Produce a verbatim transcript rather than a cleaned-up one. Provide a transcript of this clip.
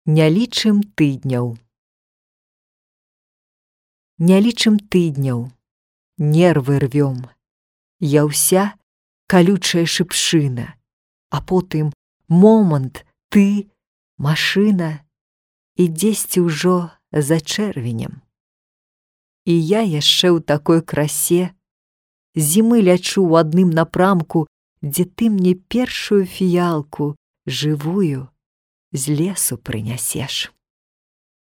Не лічым тыдняў. Не лічым тыдняў, нервы рвём. Я ўся калючая шыпшына, а потым момант, ты, машына, і дзесьці ўжо за чэрвенем. І я яшчэ ў такой красе, зімы лячу ў адным напрамку, дзе ты мне першую фіялку жывую з лесу прынясеш.